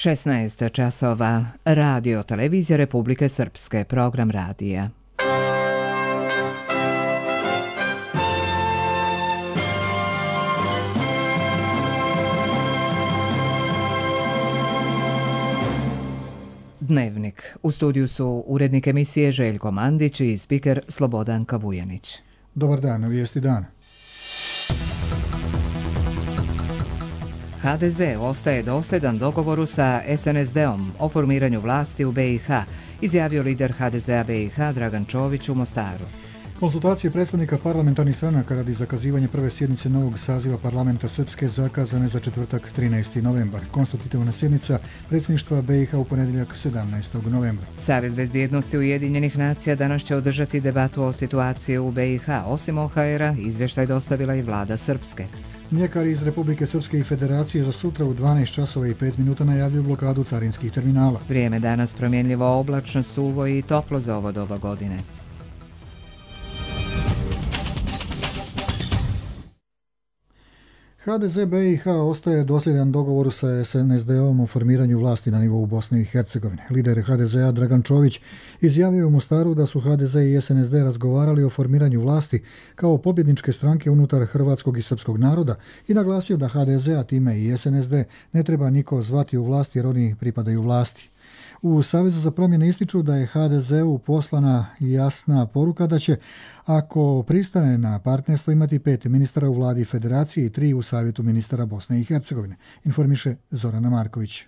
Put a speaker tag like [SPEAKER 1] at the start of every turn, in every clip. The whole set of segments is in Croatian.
[SPEAKER 1] 16 časova. Radio Televizija Republike Srpske. Program radija. Dnevnik. U studiju su urednik emisije Željko Mandić i spiker Slobodanka Vujanić.
[SPEAKER 2] Dobar dan, vijesti dana.
[SPEAKER 1] HDZ ostaje dosljedan dogovoru sa SNSD-om o formiranju vlasti u BiH, izjavio lider HDZ-a BiH Dragan Čović u Mostaru.
[SPEAKER 2] Konsultacije predstavnika parlamentarnih stranaka radi zakazivanja prve sjednice novog saziva parlamenta Srpske zakazane za četvrtak 13. novembar. Konstitutivna sjednica predsjedništva BiH u ponedjeljak 17. novembra.
[SPEAKER 1] Savjet bezbjednosti Ujedinjenih nacija danas će održati debatu o situaciji u BiH. Osim OHR-a, izvještaj dostavila i vlada Srpske.
[SPEAKER 2] Mljekari iz Republike Srpske i Federacije za sutra u 12 časova i 5 minuta najavljuju blokadu carinskih terminala.
[SPEAKER 1] Vrijeme danas promjenljivo, oblačno, suvo i toplo za ovo doba godine.
[SPEAKER 2] HDZ BiH ostaje dosljedan dogovoru sa SNSD-om o formiranju vlasti na nivou Bosne i Hercegovine. Lider HDZ-a Dragan Čović izjavio u Mostaru da su HDZ i SNSD razgovarali o formiranju vlasti kao pobjedničke stranke unutar hrvatskog i srpskog naroda i naglasio da HDZ-a time i SNSD ne treba niko zvati u vlasti jer oni pripadaju vlasti. U Savezu za promjene ističu da je HDZ-u poslana jasna poruka da će, ako pristane na partnerstvo, imati 5 ministara u vladi Federacije i 3 u Savjetu ministara Bosne i Hercegovine, informiše Zorana Marković.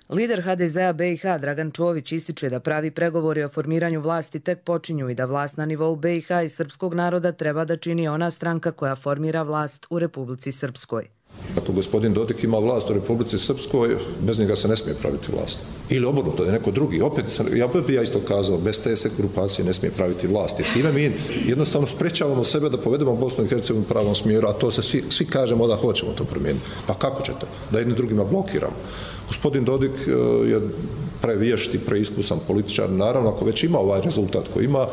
[SPEAKER 3] Lider HDZ-a BiH Dragan Čović ističe da pravi pregovori o formiranju vlasti tek počinju i da vlast na nivou BiH i srpskog naroda treba da čini ona stranka koja formira vlast u Republici Srpskoj.
[SPEAKER 4] Ako gospodin Dodik ima vlast u Republici Srpskoj, bez njega se ne smije praviti vlast. Ili obrnuto, da je neko drugi. Ja bi isto kazao, bez te se grupacije ne smije praviti vlast. Jer time mi jednostavno sprečavamo sebe da povedemo Bosnu i Hercegovinu u pravom smjeru, a to se svi kažemo da hoćemo to promijeniti. Pa kako će to? Da jedni drugima blokiramo. Gospodin Dodik je prevješt i preiskusan političar. Naravno, ako već ima ovaj rezultat koji ima,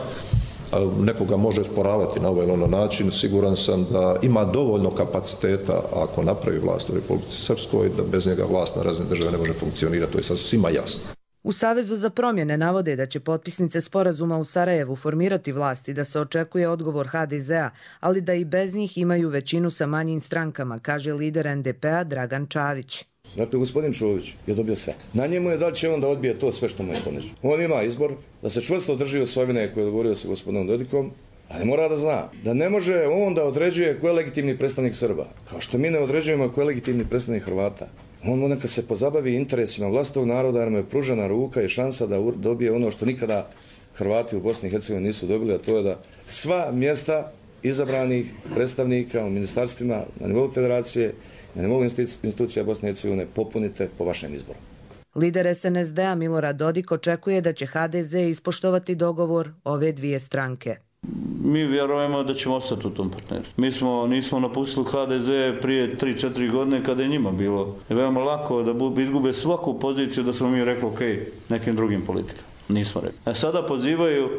[SPEAKER 4] nekoga može sporavati na ovaj ili ono način, siguran sam da ima dovoljno kapaciteta ako napravi vlast u Republici Srpskoj, da bez njega vlast na razine države ne može funkcionirati, to je sad svima jasno.
[SPEAKER 3] U Savezu za promjene navode da će potpisnice sporazuma u Sarajevu formirati vlast i da se očekuje odgovor HDZ-a, ali da i bez njih imaju većinu sa manjim strankama, kaže lider NDP-a Dragan Čavić.
[SPEAKER 5] Dakle, gospodin Čović je dobio sve. Na njemu je da li će on da odbije to sve što mu je ponuđeno. On ima izbor da se čvrsto drži osvojine koje je dogovorio sa gospodinom Dodikom, ali mora da zna da ne može on da određuje ko je legitimni predstavnik Srba, kao što mi ne određujemo ko je legitimni predstavnik Hrvata. On neka se pozabavi interesima vlastitog naroda, jer mu je pružena ruka i šansa da dobije ono što nikada Hrvati u Bosni i Hercegovini nisu dobili, a to je da sva mjesta izabranih predstavnika u ministarstvima na nivou Federacije, na nivou institucija Bosne i Hercegovine popunite po vašem izboru.
[SPEAKER 3] Lider SNSD-a Milorad Dodik očekuje da će HDZ ispoštovati dogovor ove dvije stranke.
[SPEAKER 6] Mi vjerujemo da ćemo ostati u tom partnerstvu. Mi nismo napustili HDZ prije 3-4 godine kada je njima bilo veoma lako da izgube svaku poziciju da smo mi rekli ok, nekim drugim politikama. Nismo rekli. Sada pozivaju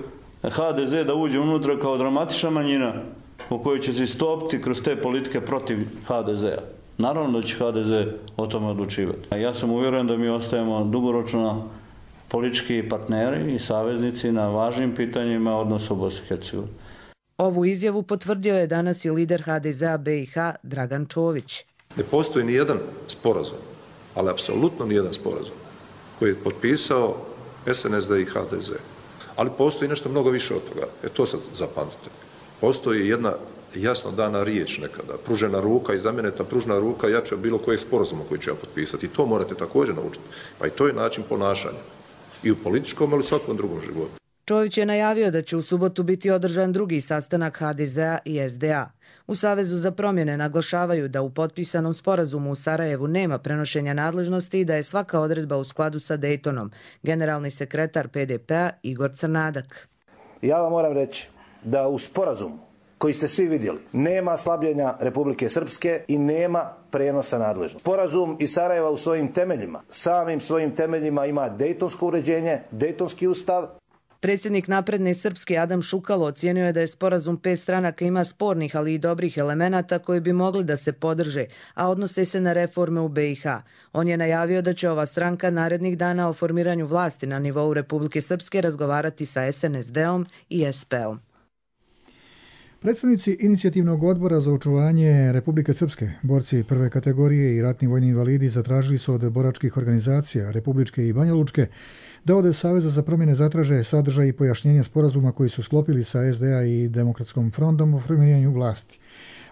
[SPEAKER 6] HDZ da uđe unutra kao dramatična manjina u kojoj će se istopiti kroz te politike protiv HDZ-a. Naravno da će HDZ o tome odlučivati. Ja sam uvjeren da mi ostajemo dugoročno politički partneri i saveznici na važnim pitanjima odnosa u Bosni i Hercegovini.
[SPEAKER 3] Ovu izjavu potvrdio je danas i lider HDZ-a BiH Dragan Čović.
[SPEAKER 4] Ne postoji ni jedan sporazum, ali apsolutno ni jedan sporazum koji je potpisao SNSD i HDZ. Ali postoji nešto mnogo više od toga. To sad zapamtite. Postoji jedna jasno dana riječ nekada, pružena ruka i za mene ta pružena ruka jača od bilo kojeg sporazuma koji ću ja potpisati. I to morate također naučiti. Pa i to je način ponašanja. I u političkom, ali i svakom drugom životu.
[SPEAKER 3] Čović je najavio da će u subotu biti održan drugi sastanak HDZ-a i SDA. U Savezu za promjene naglašavaju da u potpisanom sporazumu u Sarajevu nema prenošenja nadležnosti i da je svaka odredba u skladu sa Dejtonom. Generalni sekretar PDP-a Igor Crnadak.
[SPEAKER 7] Ja vam moram reći da u sporazumu koji ste svi vidjeli, nema slabljenja Republike Srpske i nema prenosa nadležnosti. Sporazum iz Sarajeva u samim svojim temeljima ima dejtonsko uređenje, dejtonski ustav.
[SPEAKER 3] Predsjednik Napredne Srpske Adam Šukalo ocijenio je da je sporazum 5 stranaka ima spornih, ali i dobrih elemenata koji bi mogli da se podrže, a odnose se na reforme u BiH. On je najavio da će ova stranka narednih dana o formiranju vlasti na nivou Republike Srpske razgovarati sa SNSD-om i SP-om.
[SPEAKER 2] Predstavnici inicijativnog odbora za očuvanje Republike Srpske, borci prve kategorije i ratni vojni invalidi zatražili su od boračkih organizacija, republičke i banjalučke, da od Saveza za promjene zatraže sadržaj i pojašnjenja sporazuma koji su sklopili sa SDA i Demokratskom frontom o formiranju vlasti.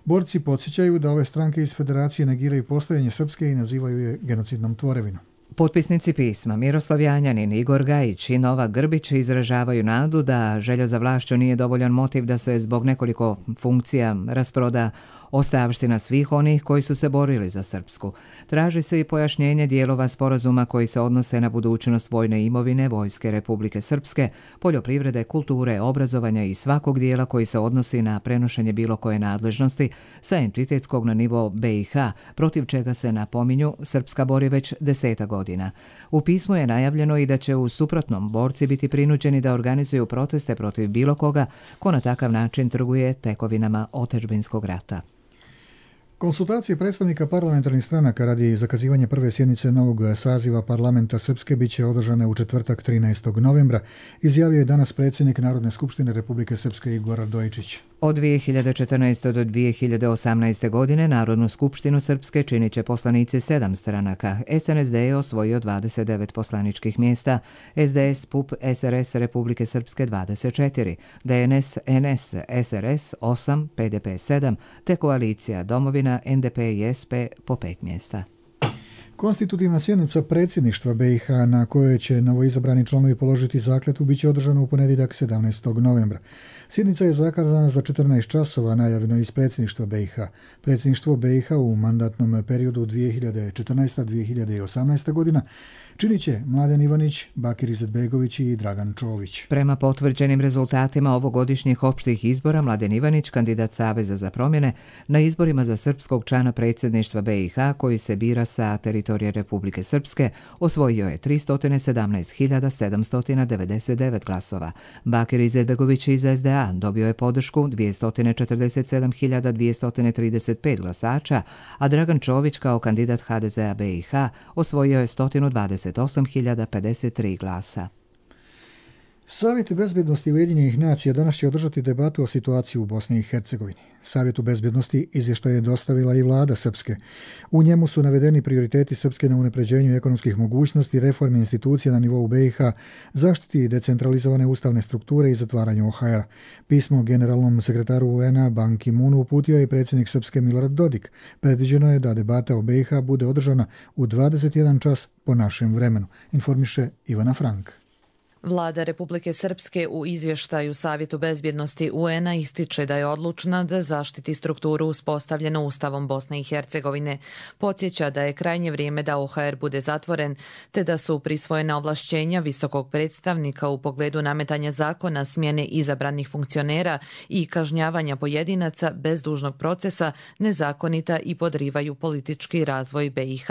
[SPEAKER 2] Borci podsjećaju da ove stranke iz federacije negiraju postojanje Srpske i nazivaju je genocidnom tvorevinom.
[SPEAKER 1] Potpisnici pisma Miroslav Janjanin, Igor Gajić i Novak Grbić izražavaju nadu da želja za vlašću nije dovoljan motiv da se zbog nekoliko funkcija rasproda ostavština svih onih koji su se borili za Srpsku. Traži se i pojašnjenje dijelova sporazuma koji se odnose na budućnost vojne imovine Vojske Republike Srpske, poljoprivrede, kulture, obrazovanja i svakog dijela koji se odnosi na prenošenje bilo koje nadležnosti sa entitetskog na nivo BiH, protiv čega se, napominju, Srpska bori već 10 godina. U pismu je najavljeno i da će u suprotnom borci biti prinuđeni da organizuju proteste protiv bilo koga ko na takav način trguje tekovinama otadžbinskog rata.
[SPEAKER 2] Konsultacije predstavnika parlamentarnih stranaka radi zakazivanja prve sjednice novog saziva parlamenta Srpske biće održane u četvrtak 13. novembra, izjavio je danas predsjednik Narodne skupštine Republike Srpske Igor Radojičić.
[SPEAKER 1] Od 2014. do 2018. godine Narodnu skupštinu Srpske činit će poslanici 7 stranaka. SNSD je osvojio 29 poslaničkih mjesta, SDS, PUP, SRS Republike Srpske 24, DNS, NS, SRS 8, PDP 7, te koalicija Domovina, NDP i SP po 5 mjesta.
[SPEAKER 2] Konstitutivna sjednica predsjedništva BiH na kojoj će novoizabrani članovi položiti zakletvu biće održana u ponedjeljak 17. novembra. Sjednica je zakazana za 14 časova, najavljeno iz predsjedništva BiH. Predsjedništvo BiH u mandatnom periodu 2014-2018. godina činit će Mladen Ivanić, Bakir Izetbegović i Dragan Čović.
[SPEAKER 1] Prema potvrđenim rezultatima ovogodišnjih opštih izbora, Mladen Ivanić, kandidat Saveza za promjene, na izborima za srpskog člana predsjedništva BiH koji se bira sa teritorije Republike Srpske, osvojio je 317.799 glasova. Bakir Izetbegović iz SDA dobio je podršku 247.235 glasača, a Dragan Čović kao kandidat HDZ-a BiH osvojio je 128.053 glasa.
[SPEAKER 2] Savjet bezbjednosti Ujedinjenih nacija danas će održati debatu o situaciji u Bosni i Hercegovini. Savjetu bezbjednosti izvještaj je dostavila i vlada Srpske. U njemu su navedeni prioriteti Srpske na unapređenju ekonomskih mogućnosti, reformi institucija na nivou BiH, zaštiti decentralizovane ustavne strukture i zatvaranju OHR-a. Pismo generalnom sekretaru UN-a Ban Ki-moonu uputio je predsjednik Srpske Milorad Dodik. Predviđeno je da debata o BiH bude održana u 21 čas po našem vremenu, informiše Ivana Frank.
[SPEAKER 8] Vlada Republike Srpske u izvještaju Savjetu bezbjednosti UN-a ističe da je odlučna da zaštiti strukturu uspostavljenu Ustavom Bosne i Hercegovine. Podsjeća da je krajnje vrijeme da OHR bude zatvoren, te da su prisvojena ovlašćenja visokog predstavnika u pogledu nametanja zakona, smjene izabranih funkcionera i kažnjavanja pojedinaca bez dužnog procesa nezakonita i podrivaju politički razvoj BiH.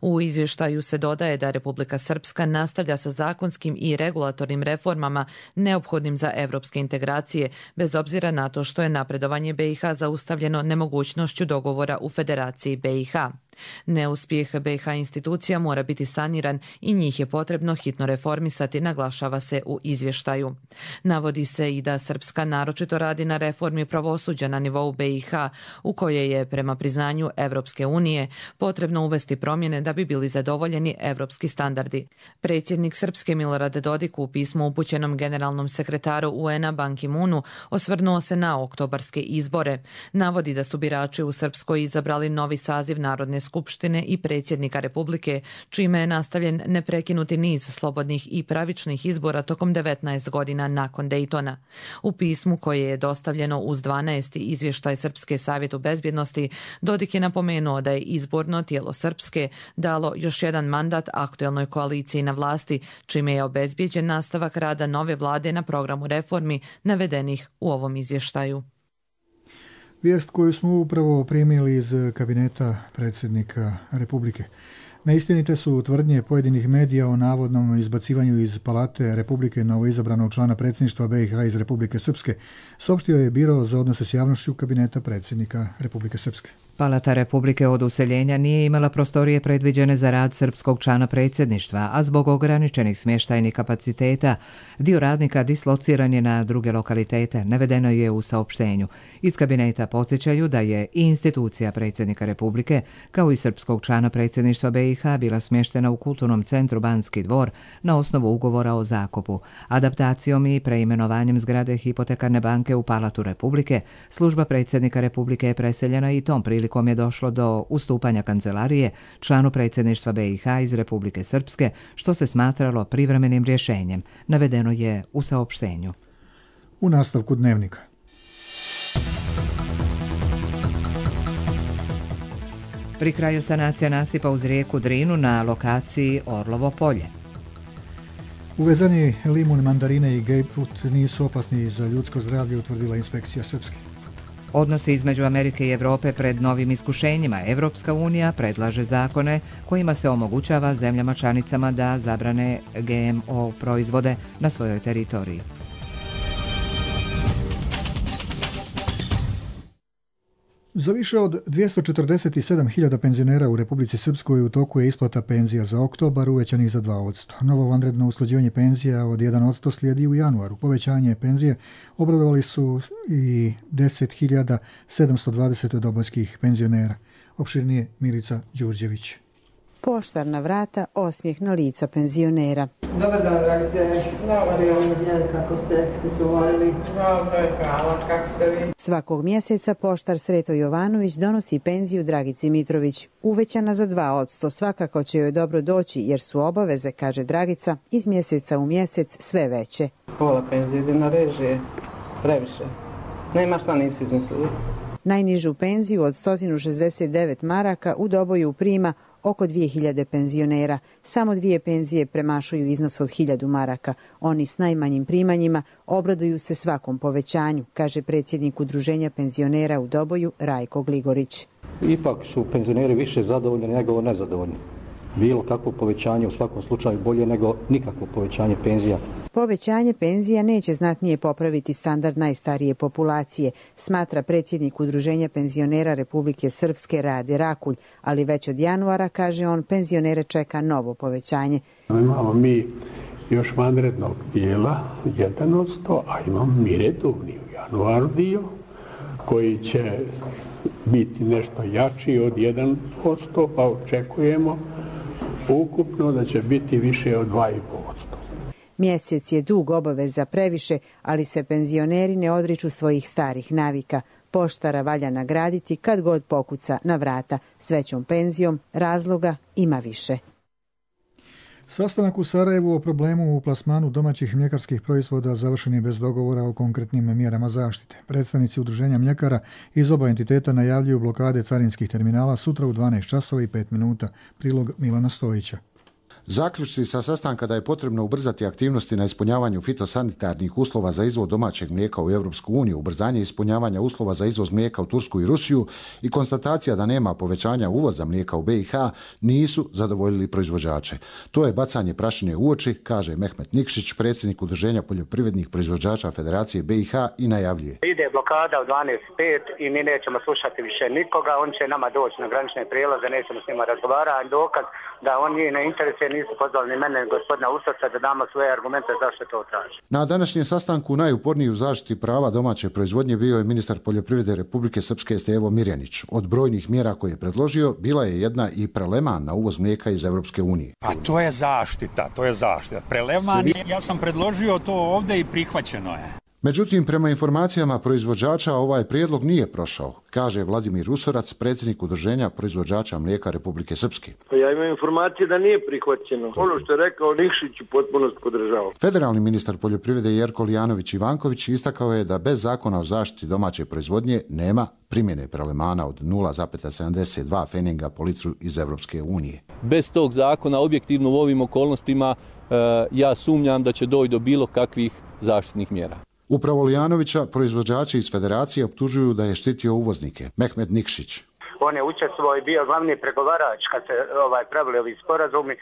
[SPEAKER 8] U izvještaju se dodaje da Republika Srpska nastavlja sa zakonskim i regulatornim reformama neophodnim za evropske integracije, bez obzira na to što je napredovanje BiH zaustavljeno nemogućnošću dogovora u Federaciji BiH. Neuspjeh BiH institucija mora biti saniran i njih je potrebno hitno reformisati, naglašava se u izvještaju. Navodi se i da Srpska naročito radi na reformi pravosuđa na nivou BiH, u koje je, prema priznanju Evropske unije, potrebno uvesti promjene da bi bili zadovoljeni evropski standardi. Predsjednik Srpske Milorad Dodik u pismu upućenom generalnom sekretaru UN-a Ban Ki-moonu osvrnuo se na oktobarske izbore. Navodi da su birači u Srpskoj izabrali novi saziv Narodne skupštine i predsjednika Republike, čime je nastavljen neprekinuti niz slobodnih i pravičnih izbora tokom 19 godina nakon Dejtona. U pismu koje je dostavljeno uz 12. izvještaj Srpske Savjetu bezbjednosti, Dodik je napomenuo da je izborno tijelo Srpske dalo još jedan mandat aktuelnoj koaliciji na vlasti, čime je obezbijeđen nastavak rada nove vlade na programu reformi navedenih u ovom izvještaju.
[SPEAKER 2] Vijest koju smo upravo primili iz kabineta predsjednika Republike. Neistinite su tvrdnje pojedinih medija o navodnom izbacivanju iz Palate Republike novoizabranog člana predsjedništva BiH iz Republike Srpske, saopštio je Biro za odnose s javnošću kabineta predsjednika Republike Srpske.
[SPEAKER 1] Palata Republike od useljenja nije imala prostorije predviđene za rad srpskog člana predsjedništva, a zbog ograničenih smještajnih kapaciteta dio radnika dislociran je na druge lokalitete, navedeno je u saopštenju. Iz kabineta podsjećaju da je i institucija predsjednika Republike, kao i srpskog člana predsjedništva BiH, bila smještena u kulturnom centru Banski dvor na osnovu ugovora o zakupu. Adaptacijom i preimenovanjem zgrade Hipotekarne banke u Palatu Republike, služba predsjednika Republike je preseljena i tom prilikom je došlo do ustupanja kancelarije članu predsjedništva BiH iz Republike Srpske, što se smatralo privremenim rješenjem, navedeno je u saopštenju.
[SPEAKER 2] U nastavku dnevnika.
[SPEAKER 1] Pri kraju sanacija nasipa uz rijeku Drinu na lokaciji Orlovo polje.
[SPEAKER 2] Uvezani limun, mandarine i grejpfrut nisu opasni za ljudsko zdravlje, utvrdila inspekcija Srpske.
[SPEAKER 1] Odnosi između Amerike i Europe pred novim iskušenjima. Evropska unija predlaže zakone kojima se omogućava zemljama članicama da zabrane GMO proizvode na svojoj teritoriji.
[SPEAKER 2] Za više od 247.000 penzionera u Republici Srpskoj u toku je isplata penzija za oktobar uvećanih za 2%. Novo vanredno usklađivanje penzija od 1% slijedi u januaru. Povećanje penzije obradovali su i 10.720 dobojskih penzionera. Opširnije Milica Đurđević.
[SPEAKER 9] Poštar na vrata, osmijeh na lica penzionera.
[SPEAKER 10] Dobar dan, dragite. Dobar dan, kako ste uvolili? Dobro, hvala, kako ste vi?
[SPEAKER 9] Svakog mjeseca poštar Sreto Jovanović donosi penziju Dragici Mitrović. Uvećana za 2%, svakako će joj dobro doći jer su obaveze, kaže Dragica, iz mjeseca u mjesec sve veće.
[SPEAKER 10] Pola penzije ide na režije, previše. Nema šta nisi izmislili.
[SPEAKER 9] Najnižu penziju od 169 maraka u Doboju prima oko 2000 penzionera. Samo 2 penzije premašuju iznos od 1000 maraka. Oni s najmanjim primanjima obraduju se svakom povećanju, kaže predsjednik Udruženja penzionera u Doboju Rajko Gligorić.
[SPEAKER 11] Ipak su penzioneri više zadovoljni nego nezadovoljni. Bilo kakvo povećanje u svakom slučaju bolje nego nikakvo povećanje penzija.
[SPEAKER 9] Povećanje penzija neće znatnije popraviti standard najstarije populacije, smatra predsjednik Udruženja penzionera Republike Srpske Rade Rakulj, ali već od januara, kaže on, penzionere čeka novo povećanje.
[SPEAKER 12] Imamo mi još vanrednog dijela 1%, a imamo mi redovni u januaru dio koji će biti nešto jači od 1%, pa očekujemo ukupno da će biti više od 2,5%.
[SPEAKER 9] Mjesec je dug, obaveza previše, ali se penzioneri ne odriču svojih starih navika. Poštara valja nagraditi kad god pokuca na vrata. S većom penzijom razloga ima više.
[SPEAKER 2] Sastanak u Sarajevu o problemu u plasmanu domaćih mljekarskih proizvoda završen je bez dogovora o konkretnim mjerama zaštite. Predstavnici Udruženja mljekara iz oba entiteta najavljuju blokade carinskih terminala sutra u 12 časova i 5 minuta. Prilog Milana Stojića.
[SPEAKER 13] Zaključci sa sastanka da je potrebno ubrzati aktivnosti na ispunjavanju fitosanitarnih uslova za izvoz domaćeg mlijeka u Europsku uniju, ubrzanje ispunjavanja uslova za izvoz mlijeka u Tursku i Rusiju i konstatacija da nema povećanja uvoza mlijeka u BiH nisu zadovoljili proizvođače. To je bacanje prašine u oči, kaže Mehmet Nikšić, predsjednik Udruženja poljoprivrednih proizvođača Federacije BiH i najavljuje.
[SPEAKER 14] Ide blokada u 12:05 i mi nećemo slušati više nikoga, on će nama doći na granične prijelaze, nećemo s njima razgovarati, dokaz da on nije na interese, nisu pozvali ni mene, gospodina Usrca, da damo svoje argumente zašto to traži.
[SPEAKER 13] Na današnjem sastanku najuporniji u zaštiti prava domaće proizvodnje bio je ministar poljoprivrede Republike Srpske Stevo Mirjanić. Od brojnih mjera koje je predložio, bila je jedna i preleman na uvoz mlijeka iz Europske unije.
[SPEAKER 15] A to je zaštita, Preleman, ja sam predložio to ovdje i prihvaćeno je.
[SPEAKER 13] Međutim, prema informacijama proizvođača, ovaj prijedlog nije prošao, kaže Vladimir Usorac, predsjednik Udruženja proizvođača mlijeka Republike Srpske.
[SPEAKER 16] Ja imam informacije da nije prihvaćeno. Ono što je rekao Nikšić u potpunosti podržao.
[SPEAKER 13] Federalni ministar poljoprivrede Jerko Lijanović Ivanković istakao je da bez zakona o zaštiti domaće proizvodnje nema primjene prelemana od 0,72 feninga po litru iz Europske unije.
[SPEAKER 17] Bez tog zakona, objektivno u ovim okolnostima, ja sumnjam da će doći do bilo kakvih zaštitnih mjera.
[SPEAKER 13] Upravo Lijanovića proizvođači iz Federacije optužuju da je štitio uvoznike. Mehmet Nikšić.
[SPEAKER 14] On je učestvovao i bio glavni pregovarač kad se pravili ovi sporazumi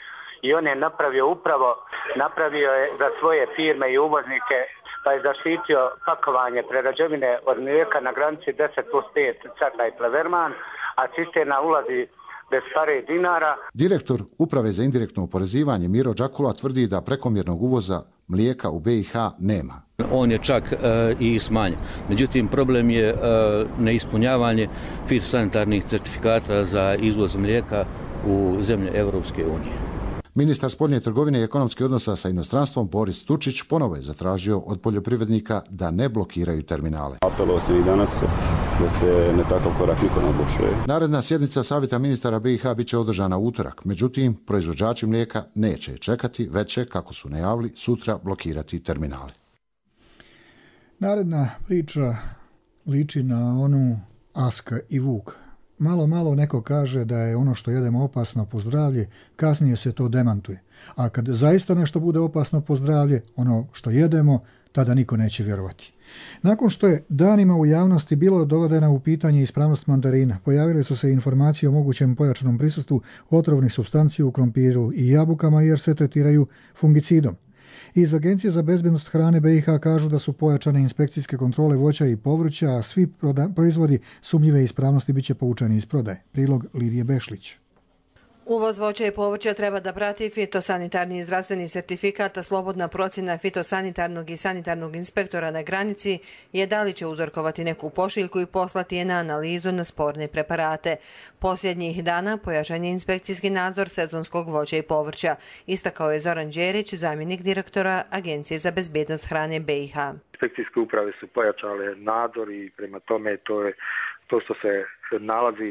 [SPEAKER 14] i on je napravio je za svoje firme i uvoznike, pa je zaštitio pakovanje prerađevine od mlijeka na granici 10+5 Carna i Pleverman, a cisterna ulazi bez pare dinara.
[SPEAKER 13] Direktor Uprave za indirektno oporezivanje Miro Đakula tvrdi da prekomjernog uvoza mlijeka u BiH nema.
[SPEAKER 18] On je čak i smanjen. Međutim, problem je neispunjavanje fitosanitarnih certifikata za izvoz mlijeka u zemlje Europske unije.
[SPEAKER 13] Ministar spoljne trgovine i ekonomskih odnosa sa inostranstvom Boris Tučić ponovo je zatražio od poljoprivrednika da ne blokiraju terminale.
[SPEAKER 19] Apelovao sam i danas da se ne takav korak niko ne odlučuje.
[SPEAKER 13] Naredna sjednica Savjeta ministara BiH bit će održana u utorak. Međutim, proizvođači mlijeka neće čekati, već će, kako su najavili, sutra blokirati terminale.
[SPEAKER 2] Naredna priča liči na onu Aska i Vuk. Malo neko kaže da je ono što jedemo opasno po zdravlje, kasnije se to demantuje. A kad zaista nešto bude opasno po zdravlje, ono što jedemo, tada niko neće vjerovati. Nakon što je danima u javnosti bilo dovedena u pitanje ispravnost mandarina, pojavile su se informacije o mogućem pojačanom prisustvu otrovnih supstanci u krompiru i jabukama jer se tretiraju fungicidom. Iz Agencije za bezbednost hrane BiH kažu da su pojačane inspekcijske kontrole voća i povrća, a svi proizvodi sumnjive ispravnosti bit će povučeni iz prodaje. Prilog Lidije Bešlić.
[SPEAKER 20] Uvoz voća i povrća treba da prati fitosanitarni i zdravstveni sertifikat, a slobodna procjena fitosanitarnog i sanitarnog inspektora na granici je da li će uzorkovati neku pošiljku i poslati je na analizu na sporne preparate. Posljednjih dana pojačan je inspekcijski nadzor sezonskog voća i povrća, istakao je Zoran Đerić, zamjenik direktora Agencije za bezbednost hrane BiH.
[SPEAKER 21] Inspekcijske uprave su pojačale nadzor i prema tome to što se nalazi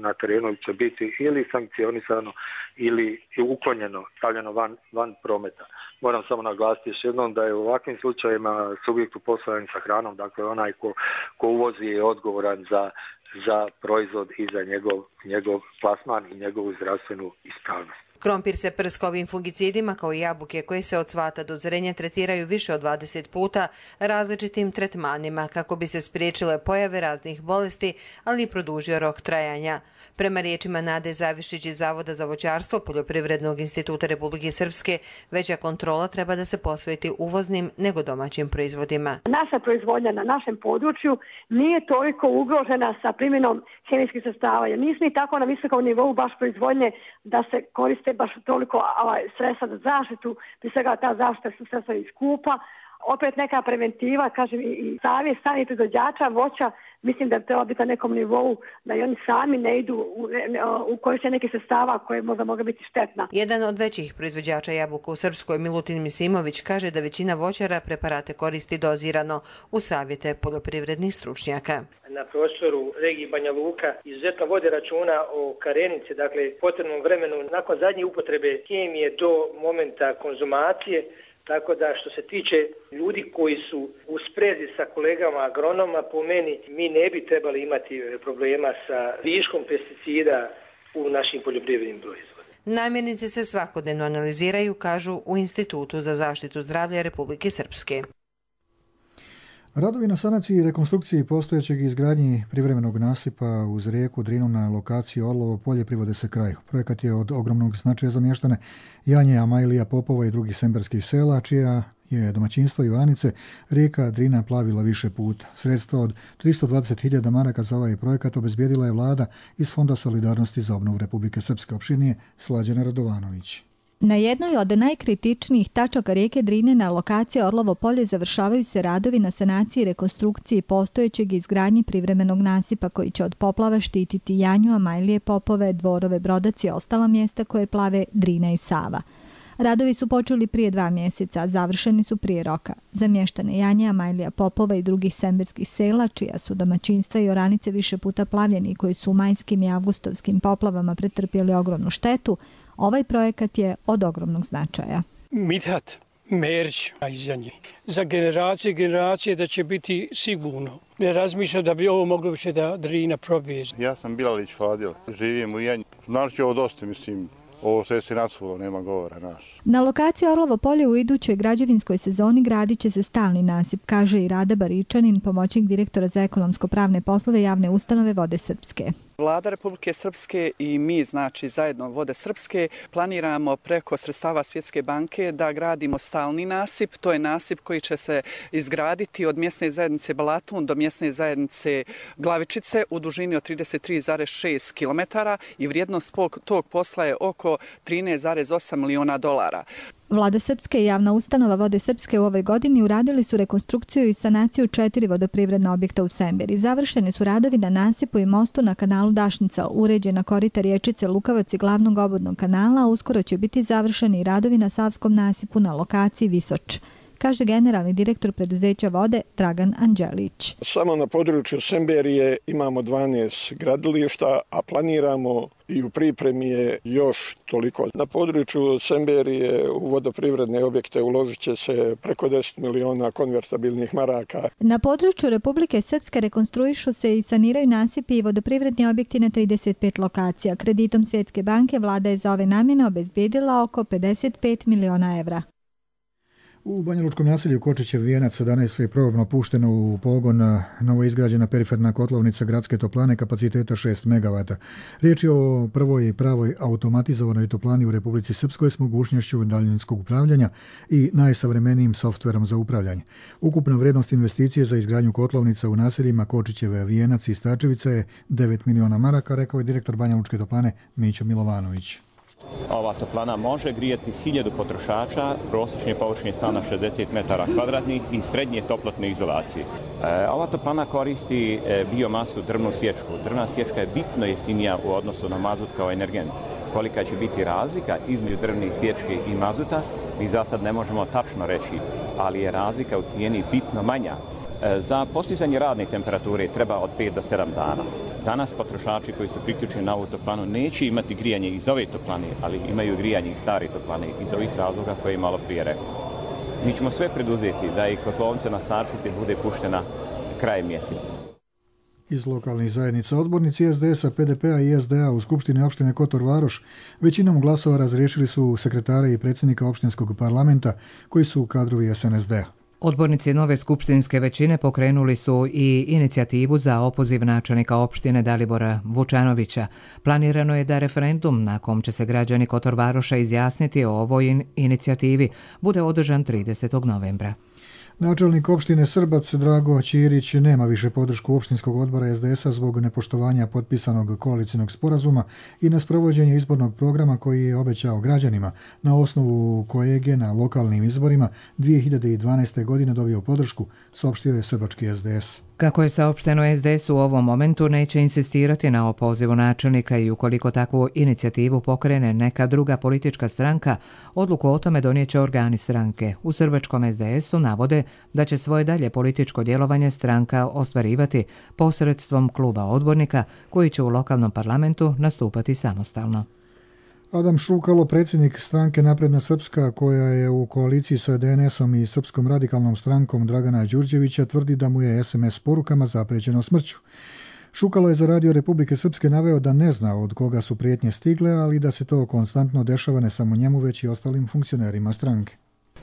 [SPEAKER 21] na terenu će biti ili sankcionisano ili uklonjeno, stavljeno van prometa. Moram samo naglasiti još jednom da je u ovakvim slučajevima subjekt u poslovanju sa hranom, dakle onaj ko uvozi je odgovoran za proizvod i za njegov plasman i njegovu zdravstvenu ispravnost.
[SPEAKER 20] Krompir se prska ovim fungicidima kao i jabuke koje se od cvata do zrenja tretiraju više od 20 puta različitim tretmanima kako bi se spriječile pojave raznih bolesti, ali i produžio rok trajanja. Prema riječima Nade Zavišić iz Zavoda za voćarstvo Poljoprivrednog instituta Republike Srpske, veća kontrola treba da se posveti uvoznim nego domaćim proizvodima.
[SPEAKER 22] Naša proizvodnja na našem području nije toliko ugrožena sa primjenom hemijskih sredstava, jer nismo i tako na visokom nivou baš proizvodnje da se koriste baš toliko sredstva za zaštitu, prije svega ta zaštita su sredstva iz skupa. Opet neka preventiva, kažem, i savjet samih proizvođača voća, mislim da treba biti na nekom nivou, da i oni sami ne idu u korištenje nekih sredstava koje možda mogu biti štetna.
[SPEAKER 20] Jedan od većih proizvođača jabuka u Srpskoj, Milutin Misimović, kaže da većina voćara preparate koristi dozirano u savjete poljoprivrednih stručnjaka.
[SPEAKER 23] Na prostoru regije Banja Luka izuzetno vode računa o karenici, dakle potrebnom vremenu nakon zadnje upotrebe hemije do momenta konzumacije. Tako da što se tiče ljudi koji su u sprezi sa kolegama agronoma, po meni mi ne bi trebali imati problema sa viškom pesticida u našim poljoprivrednim proizvodima.
[SPEAKER 20] Namirnice se svakodnevno analiziraju, kažu u Institutu za zaštitu zdravlja Republike Srpske.
[SPEAKER 2] Radovi na sanaciji i rekonstrukciji postojećeg izgradnji privremenog nasipa uz rijeku Drinu na lokaciji Orlovo polje privode se kraju. Projekat je od ogromnog značaja za mještane Janje, Amajlija, Popova i drugih semberskih sela, čija je domaćinstvo i oranice rijeka Drina plavila više puta. Sredstva od 320.000 maraka za ovaj projekat obezbijedila je vlada iz Fonda solidarnosti za obnovu Republike Srpske. Opširnije Slađana Radovanović.
[SPEAKER 24] Na jednoj od najkritičnijih tačaka rijeke Drine na lokaciji Orlovo polje završavaju se radovi na sanaciji i rekonstrukciji postojećeg izgradnji privremenog nasipa koji će od poplava štititi Janju, Amajlije, Popove, Dvorove, Brodac i ostala mjesta koje plave Drina i Sava. Radovi su počeli prije 2 mjeseca, a završeni su prije roka. Za mještane Janje, Amajlija, Popova i drugih semberskih sela, čija su domaćinstva i oranice više puta plavljeni i koji su u majskim i avgustovskim poplavama pretrpjeli ogromnu štetu, ovaj projekat je od ogromnog značaja.
[SPEAKER 25] Mithat Merić iz Janje. Za generacije da će biti sigurno. Ne razmišljam da bi ovo moglo više da Drina probije.
[SPEAKER 26] Ja sam Bilalić Fadil, živim u Janji. Znači ovo dosta, mislim, ovo sve se nasulo, nema govora naš.
[SPEAKER 24] Na lokaciji Orlovo polje u idućoj građevinskoj sezoni gradit će se stalni nasip, kaže i Rada Baričanin, pomoćnik direktora za ekonomsko-pravne poslove javne ustanove Vode Srpske.
[SPEAKER 3] Vlada Republike Srpske i mi, znači zajedno Vode Srpske, planiramo preko sredstava Svjetske banke da gradimo stalni nasip. To je nasip koji će se izgraditi od mjesne zajednice Balatun do mjesne zajednice Glavičice u dužini od 33,6 km i vrijednost tog posla je oko 13,8 miliona dolara.
[SPEAKER 24] Vlada Srpske i javna ustanova Vode Srpske u ovoj godini uradili su rekonstrukciju i sanaciju 4 vodoprivredna objekta u Semberi. Završeni su radovi na nasipu i mostu na kanalu Dašnica, uređena korita riječice Lukavac i glavnog obodnog kanala, a uskoro će biti završeni radovi na Savskom nasipu na lokaciji Visoč, kaže generalni direktor preduzeća Vode Dragan Anđelić.
[SPEAKER 4] Samo na području Semberije imamo 12 gradilišta, a planiramo i u pripremi je još toliko. Na području Semberije u vodoprivredne objekte uložit će se preko 10 miliona konvertabilnih maraka.
[SPEAKER 24] Na području Republike Srpske rekonstruišu se i saniraju nasipi i vodoprivredni objekti na 35 lokacija. Kreditom Svjetske banke vlada je za ove namjene obezbijedila oko 55 miliona evra.
[SPEAKER 2] U banjalučkom naselju Kočićev vijenac danas je probno pušteno u pogon novoizgrađena periferna kotlovnica gradske toplane kapaciteta 6 MW. Riječ je o prvoj pravoj automatizovanoj toplani u Republici Srpskoj s mogućnošću daljinskog upravljanja i najsavremenijim softverom za upravljanje. Ukupna vrijednost investicije za izgradnju kotlovnica u naseljima Kočićev vijenac i Stačevica je 9 miliona maraka, rekao je direktor banjalučke toplane Mićo Milovanović.
[SPEAKER 5] Ova toplana može grijati 1000 potrošača, prosječne površine stana 60 metara kvadratnih i srednje toplotne izolacije. Ova toplana koristi biomasu drvnu sječku. Drvna sječka je bitno jeftinija u odnosu na mazut kao energent. Kolika će biti razlika između drvne sječke i mazuta, mi za sad ne možemo tačno reći, ali je razlika u cijeni bitno manja. Za postizanje radne temperature treba od 5 do 7 dana. Danas potrošači koji su priključeni na ovu toplanu neće imati grijanje iz ove toplane, ali imaju grijanje iz stare toplane, iz ovih razloga koje je malo prije rekao. Mi ćemo sve preduzeti da i kotlovnica na Stačevici bude puštena krajem mjeseca.
[SPEAKER 2] Iz lokalnih zajednica odbornici SDS-a, PDP-a i SDA u Skupštini opštine Kotor Varoš većinom glasova razriješili su sekretara i predsjednika opštinskog parlamenta koji su kadrovi SNSD-a.
[SPEAKER 1] Odbornici nove skupštinske većine pokrenuli su i inicijativu za opoziv načelnika opštine Dalibora Vučanovića. Planirano je da referendum na kom će se građani Kotor Varoša izjasniti o ovoj inicijativi bude održan 30. novembra.
[SPEAKER 2] Načelnik opštine Srbac Drago Ćirić nema više podršku opštinskog odbora SDS-a zbog nepoštovanja potpisanog koalicijnog sporazuma i nesprovođenja izbornog programa koji je obećao građanima, na osnovu kojeg je na lokalnim izborima 2012. godine dobio podršku, saopštio je srbački SDS.
[SPEAKER 1] Kako je saopšteno, SDS u ovom momentu neće insistirati na opozivu načelnika i ukoliko takvu inicijativu pokrene neka druga politička stranka, odluku o tome donijeće organi stranke. U srbačkom SDS-u navode da će svoje dalje političko djelovanje stranka ostvarivati posredstvom kluba odbornika koji će u lokalnom parlamentu nastupati samostalno.
[SPEAKER 2] Adam Šukalo, predsjednik stranke Napredna Srpska, koja je u koaliciji sa DNS-om i Srpskom radikalnom strankom Dragana Đurđevića, tvrdi da mu je SMS porukama zaprećeno smrću. Šukalo je za Radio Republike Srpske naveo da ne zna od koga su prijetnje stigle, ali da se to konstantno dešava ne samo njemu, već i ostalim funkcionerima stranke.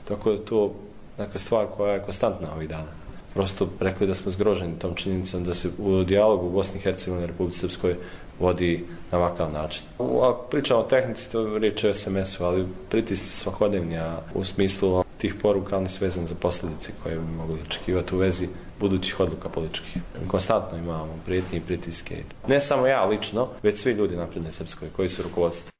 [SPEAKER 6] Tako da to neka stvar koja je konstantna ovih dana. Prosto rekli da smo zgroženi tom činjenicom da se u dijalogu u Bosni i Hercegovini i Republici Srpskoj vodi na ovakav način. Ako pričamo o tehnici, to riječ je o SMS-u, ali pritisci svakodnevni, a u smislu tih poruka oni su vezani za posljedice koje bi mogli očekivati u vezi budućih odluka političkih. Konstantno imamo prijetnje i pritiske. Ne samo ja lično, već svi ljudi Napredne Srpskoj koji su rukovodstvo.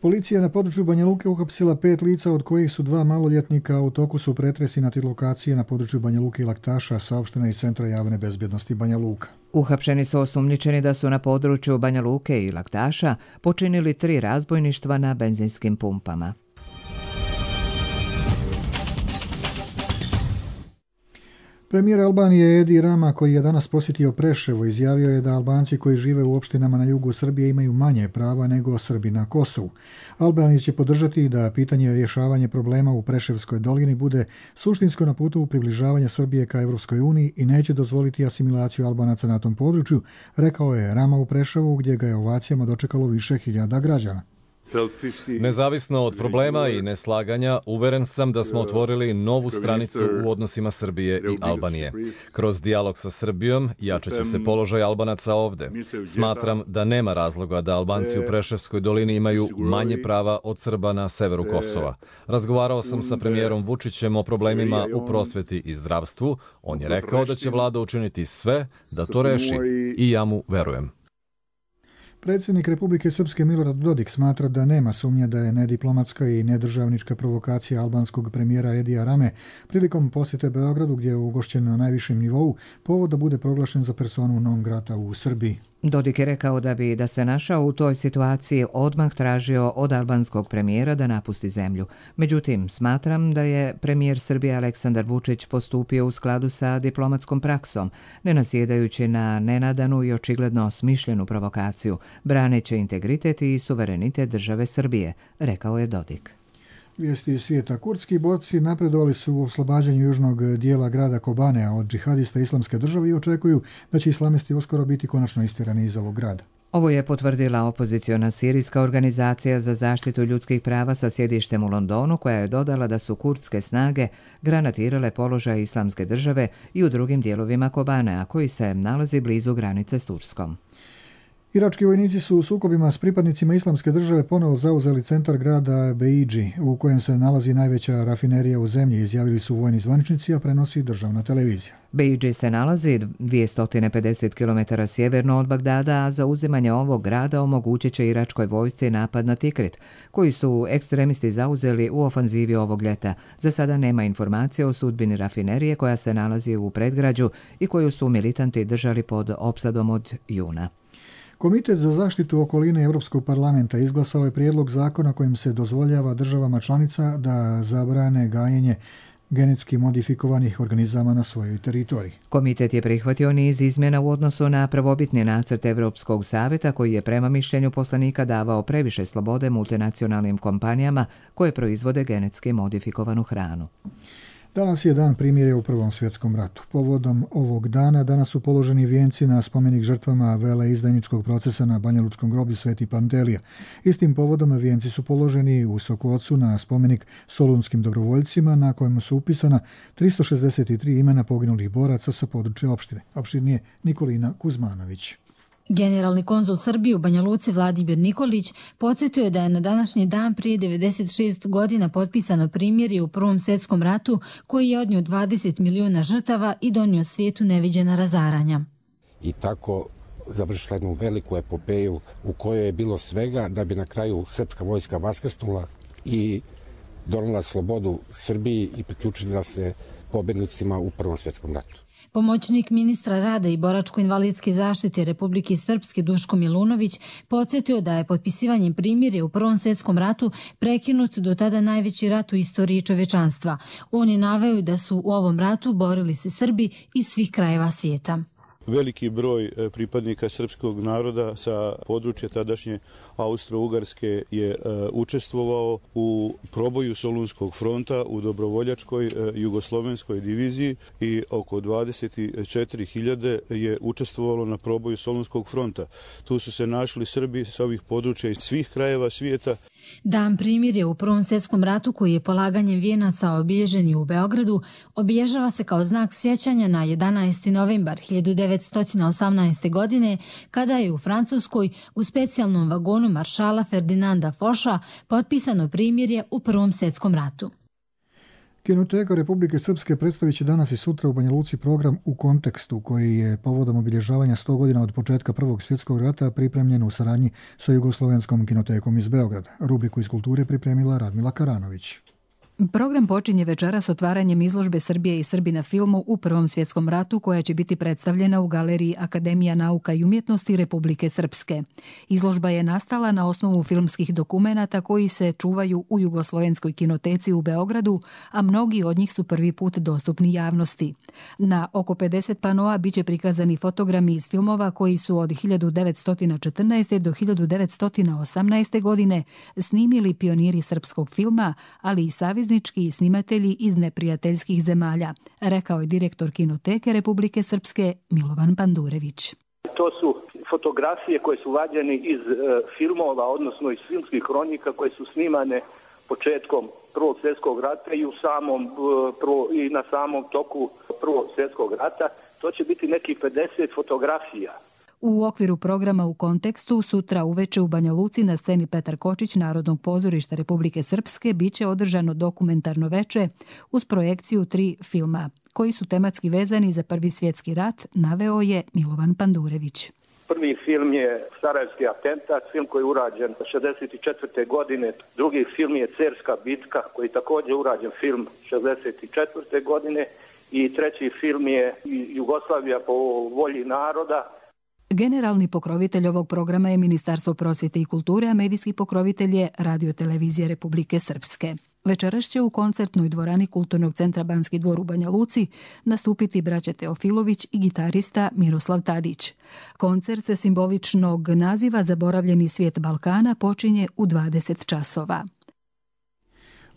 [SPEAKER 2] Policija na području Banja Luke uhapsila 5 lica, od kojih su 2 maloljetnika. U toku su pretresi na 3 lokacije na području Banja Luke i Laktaša, saopštena iz Centra javne bezbjednosti Banja Luka.
[SPEAKER 1] Uhapšeni su osumnjičeni da su na području Banja Luke i Laktaša počinili 3 razbojništva na benzinskim pumpama.
[SPEAKER 2] Premijer Albanije Edi Rama, koji je danas posjetio Preševo, izjavio je da Albanci koji žive u opštinama na jugu Srbije imaju manje prava nego Srbi na Kosovu. Albanija će podržati da pitanje rješavanja problema u Preševskoj dolini bude suštinsko na putu približavanja Srbije ka Evropskoj uniji i neće dozvoliti asimilaciju Albanaca na tom području, rekao je Rama u Preševu, gdje ga je ovacijama dočekalo više hiljada građana.
[SPEAKER 7] Nezavisno od problema i neslaganja, uveren sam da smo otvorili novu stranicu u odnosima Srbije i Albanije. Kroz dijalog sa Srbijom jačat će se položaj Albanaca ovde. Smatram da nema razloga da Albanci u Preševskoj dolini imaju manje prava od Srba na severu Kosova. Razgovarao sam sa premijerom Vučićem o problemima u prosveti i zdravstvu. On je rekao da će vlada učiniti sve da to reši i ja mu verujem.
[SPEAKER 2] Predsjednik Republike Srpske Milorad Dodik smatra da nema sumnje da je nediplomatska i nedržavnička provokacija albanskog premijera Edija Rame prilikom posjete Beogradu, gdje je ugošćen na najvišem nivou, povod da bude proglašen za personu non grata u Srbiji.
[SPEAKER 1] Dodik je rekao da se našao u toj situaciji odmah tražio od albanskog premijera da napusti zemlju. Međutim, smatram da je premijer Srbije Aleksandar Vučić postupio u skladu sa diplomatskom praksom, ne nasjedajući na nenadanu i očigledno smišljenu provokaciju, braneći integritet i suverenitet države Srbije, rekao je Dodik.
[SPEAKER 2] Vijesti iz svijeta. Kurdski borci napredovali su u oslobađanju južnog dijela grada Kobanea od džihadista Islamske države i očekuju da će islamisti uskoro biti konačno istirani iz ovog grada.
[SPEAKER 1] Ovo je potvrdila opoziciona sirijska organizacija za zaštitu ljudskih prava sa sjedištem u Londonu, koja je dodala da su kurdske snage granatirale položaj Islamske države i u drugim dijelovima Kobanea, koji se nalazi blizu granice s Turskom.
[SPEAKER 2] Irački vojnici su u sukobima s pripadnicima Islamske države ponovo zauzeli centar grada Beidži, u kojem se nalazi najveća rafinerija u zemlji, izjavili su vojni zvaničnici, a prenosi državna televizija.
[SPEAKER 1] Beidži se nalazi 250 km sjeverno od Bagdada, a zauzimanje ovog grada omogućit će iračkoj vojsci napad na Tikrit, koji su ekstremisti zauzeli u ofanzivi ovog ljeta. Za sada nema informacije o sudbini rafinerije koja se nalazi u predgrađu i koju su militanti držali pod opsadom od juna.
[SPEAKER 2] Komitet za zaštitu okoline Europskog parlamenta izglasao je prijedlog zakona kojim se dozvoljava državama članica da zabrane gajenje genetski modifikovanih organizama na svojoj teritoriji.
[SPEAKER 1] Komitet je prihvatio niz izmjena u odnosu na prvobitni nacrt Europskog savjeta, koji je prema mišljenju poslanika davao previše slobode multinacionalnim kompanijama koje proizvode genetski modifikovanu hranu.
[SPEAKER 2] Danas je dan primirja u Prvom svjetskom ratu. Povodom ovog dana danas su položeni vijenci na spomenik žrtvama veleizdajničkog procesa na Banjalučkom groblju Sveti Pantelija. Istim povodom vijenci su položeni u Sokocu na spomenik solunskim dobrovoljcima, na kojemu su upisana 363 imena poginulih boraca sa područja opštine. Opštinije Nikolina Kuzmanović.
[SPEAKER 8] Generalni konzul Srbije u Banja Luci Vladimir Nikolić podsjetio je da je na današnji dan prije 96 godina potpisano primirje u Prvom svjetskom ratu, koji je odnio 20 miliona žrtava i donio svijetu neviđena razaranja.
[SPEAKER 9] I tako završila jednu veliku epopeju u kojoj je bilo svega da bi na kraju srpska vojska vaskrsnula i donela slobodu Srbiji i priključila se pobjednicima u Prvom svjetskom ratu.
[SPEAKER 8] Pomoćnik ministra rada i boračko-invalidske zaštite Republike Srpske Duško Milunović podsjetio da je potpisivanjem primirja u Prvom svjetskom ratu prekinut do tada najveći rat u istoriji čovečanstva. On je naveo da su u ovom ratu borili se Srbi iz svih krajeva svijeta.
[SPEAKER 10] Veliki broj pripadnika srpskog naroda sa područja tadašnje Austro-Ugarske je učestvovao u proboju Solunskog fronta u dobrovoljačkoj jugoslovenskoj diviziji i oko 24.000 je učestvovalo na proboju Solunskog fronta. Tu su se našli Srbi sa ovih područja iz svih krajeva svijeta.
[SPEAKER 8] Dan primirja u Prvom svjetskom ratu, koji je polaganjem vijenaca obilježen u Beogradu, obilježava se kao znak sjećanja na 11. novembar 1918. godine, kada je u Francuskoj u specijalnom vagonu maršala Ferdinanda Foša potpisano primirje u Prvom svjetskom ratu.
[SPEAKER 2] Kinoteka Republike Srpske predstavit će danas i sutra u Banja Luci program U kontekstu, koji je povodom obilježavanja 100 godina od početka Prvog svjetskog rata pripremljen u saradnji sa Jugoslovenskom kinotekom iz Beograda. Rubriku iz kulture pripremila Radmila Karanović.
[SPEAKER 11] Program počinje večeras otvaranjem izložbe Srbije i Srbi na filmu u Prvom svjetskom ratu, koja će biti predstavljena u galeriji Akademija nauka i umjetnosti Republike Srpske. Izložba je nastala na osnovu filmskih dokumenata koji se čuvaju u Jugoslovenskoj kinoteci u Beogradu, a mnogi od njih su prvi put dostupni javnosti. Na oko 50 panoa biće prikazani fotogrami iz filmova koji su od 1914. do 1918. godine snimili pioniri srpskog filma, ali i saveznički i snimatelji iz neprijateljskih zemalja, rekao je direktor Kinoteke Republike Srpske Milovan Pandurević.
[SPEAKER 12] To su fotografije koje su vađene iz filmova, odnosno iz filmskih kronika koje su snimane početkom Prvog svjetskog rata i na samom toku Prvog svjetskog rata. To će biti nekih 50 fotografija.
[SPEAKER 11] U okviru programa U kontekstu sutra uveče u Banja Luci na sceni Petar Kočić Narodnog pozorišta Republike Srpske biće održano dokumentarno veče uz projekciju 3 filma koji su tematski vezani za Prvi svjetski rat, naveo je Milovan Pandurević.
[SPEAKER 12] Prvi film je Sarajevski atentat, film koji je urađen 1964. godine. Drugi film je Cerska bitka, koji je također urađen film 1964. godine. I treći film je Jugoslavija po volji naroda.
[SPEAKER 11] Generalni pokrovitelj ovog programa je Ministarstvo prosvjete i kulture, a medijski pokrovitelj je Radio-televizija Republike Srpske. Večeras će u koncertnoj dvorani Kulturnog centra Banski dvor u Banja Luci nastupiti braća Teofilović i gitarista Miroslav Tadić. Koncert simboličnog naziva Zaboravljeni svijet Balkana počinje u 20 časova.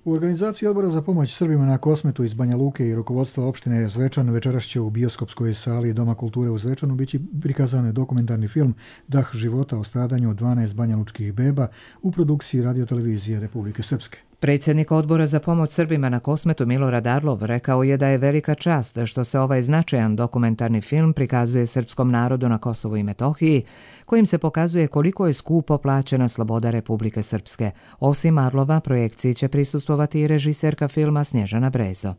[SPEAKER 2] U organizaciji Odbora za pomoć Srbima na Kosmetu iz Banja Luke i rukovodstva opštine Zvečan večeras će u bioskopskoj sali Doma kulture u Zvečanu biti prikazan dokumentarni film Dah života o stradanju od 12 banjalučkih beba u produkciji Radio-televizije Republike Srpske.
[SPEAKER 1] Predsjednik Odbora za pomoć Srbima na Kosmetu Milorad Arlov rekao je da je velika čast što se ovaj značajan dokumentarni film prikazuje srpskom narodu na Kosovu i Metohiji, kojim se pokazuje koliko je skupo plaćena sloboda Republike Srpske. Osim Arlova, projekciji će prisustvovati i režiserka filma Snježana Brezo.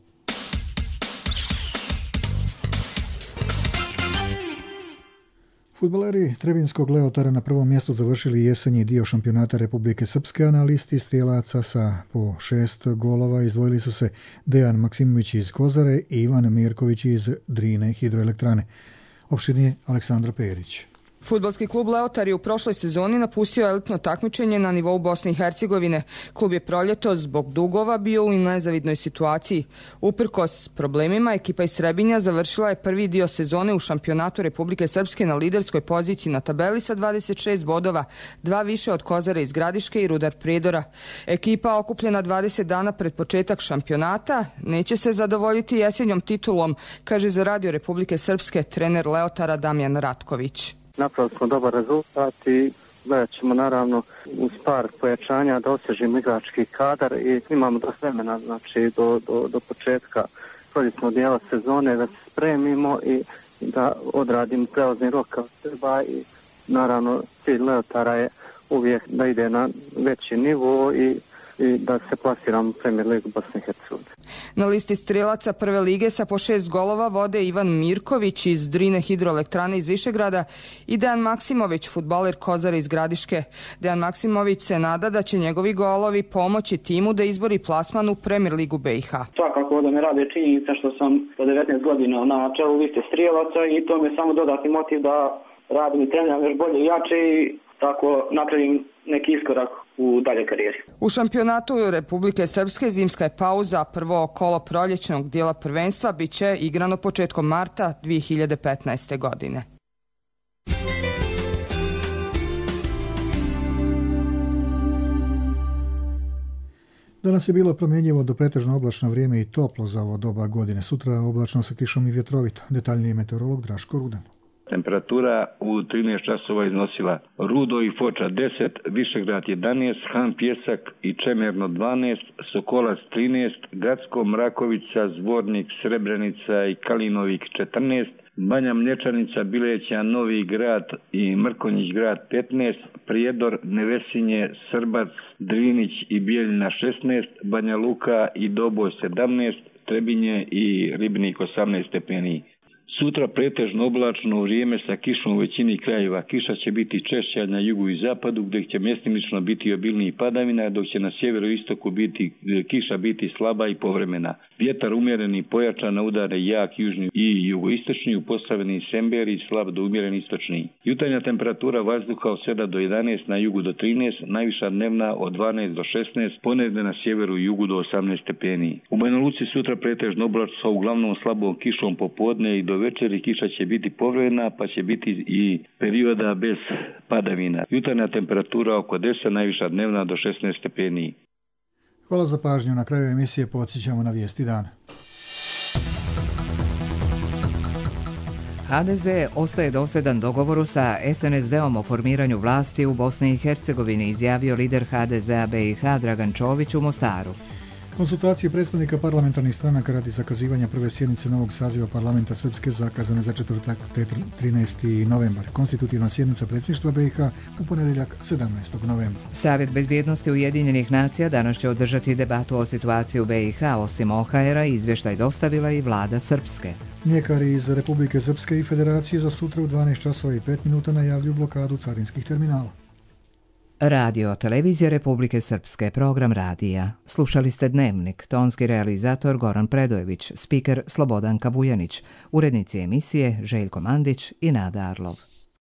[SPEAKER 2] Fudbaleri Trebinskog Leotara na prvom mjestu završili jesenji dio šampionata Republike Srpske, a na listi strijelaca sa po 6 golova izdvojili su se Dejan Maksimović iz Kozare i Ivan Mirković iz Drine hidroelektrane. Opširnije Aleksandra Perić.
[SPEAKER 14] Fudbalski klub Leotar je u prošloj sezoni napustio elitno takmičenje na nivou Bosne i Hercegovine. Klub je proljeto zbog dugova bio u nezavidnoj situaciji. Uprkos problemima, ekipa iz Trebinja završila je prvi dio sezone u šampionatu Republike Srpske na liderskoj poziciji na tabeli sa 26 bodova, 2 više od Kozare iz Gradiške i Rudar Prijedora. Ekipa okupljena 20 dana pred početak šampionata neće se zadovoljiti jesenjom titulom, kaže za Radio Republike Srpske trener Leotara Damjan Ratković.
[SPEAKER 15] Napravili smo dobar rezultat i gledat ćemo naravno uz par pojačanja da osježimo igrački kadar i imamo dosta vremena, znači do početka proljetnog dijela sezone da se spremimo i da odradimo prelazni rok kao treba i naravno cilj Leotara je uvijek da ide na veći nivo i da se plasiramo u Premier ligu Bosne i Hercegovine.
[SPEAKER 14] Na listi strijelaca prve lige sa po 6 golova vode Ivan Mirković iz Drine hidroelektrane iz Višegrada i Dejan Maksimović, fudbaler Kozare iz Gradiške. Dejan Maksimović se nada da će njegovi golovi pomoći timu da izbori plasman u Premier ligu BiH.
[SPEAKER 16] Svakako da me rade činjenica što sam do 19 godina na čelu liste strijelaca i to me samo dodatni motiv da radim i treniram još bolje i jače i tako napravim neki iskorak u dalje karijeri.
[SPEAKER 14] U šampionatu Republike Srpske zimska je pauza, prvo kolo proljećnog dijela prvenstva bit će igrano početkom marta 2015. godine.
[SPEAKER 2] Danas je bilo promjenjivo do pretežno oblačno vrijeme i toplo za ovo doba godine. Sutra oblačno sa kišom i vjetrovito. Detaljniji meteorolog Draško Rudan.
[SPEAKER 17] Temperatura u 13 časova iznosila Rudo i Foča 10, Višegrad 11, Han Pjesak i Čemerno 12, Sokolac 13, Gacko, Mrakovica, Zvornik, Srebrenica i Kalinovik 14, Banja Mlječanica, Bileća, Novi Grad i Mrkonjić Grad 15, Prijedor, Nevesinje, Srbac, Drinić i Bijeljina 16, Banja Luka i Doboj 17, Trebinje i Ribnik 18 stepeni. Sutra pretežno oblačno vrijeme sa kišom u većini krajeva. Kiša će biti češća na jugu i zapadu, gdje će mjestimično biti obilniji padavina, dok će na sjeveru i istoku kiša biti slaba i povremena. Vjetar umjereni pojačan na udare jak južni i jugoistočni, u Posavini i Semberi slab do umjeren istočni. Jutarnja temperatura vazduha od 7 do 11, na jugu do 13, najviša dnevna od 12 do 16, ponedjeljak na sjeveru i jugu do 18 stepeni. U Banja Luci sutra pretežno oblačno sa uglavnom slabom kišom popodne i do večeri kiša će biti povremena, pa će biti i perioda bez padavina. Jutarnja temperatura oko 10, najviša dnevna do 16 stepeni.
[SPEAKER 2] Hvala za pažnju. Na kraju emisije podsjećamo na vijesti dana.
[SPEAKER 1] HDZ ostaje dosljedan dogovoru sa SNSD-om o formiranju vlasti u Bosni i Hercegovini, izjavio lider HDZ-a BiH Dragan Čović u Mostaru.
[SPEAKER 2] Konsultacije predstavnika parlamentarnih stranaka radi zakazivanja prve sjednice novog saziva parlamenta Srpske zakazane za četvrtak 13. novembar. Konstitutivna sjednica predsjedništva BiH u ponedjeljak 17. novembra.
[SPEAKER 1] Savjet bezbjednosti Ujedinjenih nacija danas će održati debatu o situaciji u BiH, osim OHR-a izvještaj dostavila i vlada Srpske.
[SPEAKER 2] Mljekari iz Republike Srpske i Federacije za sutra u 12 časova i 5 minuta najavljuju blokadu carinskih terminala.
[SPEAKER 1] Radio Televizija Republike Srpske, program radija. Slušali ste Dnevnik, tonski realizator Goran Predojević, spiker Slobodanka Vujanić, urednici emisije Željko Mandić i Nada Arlov.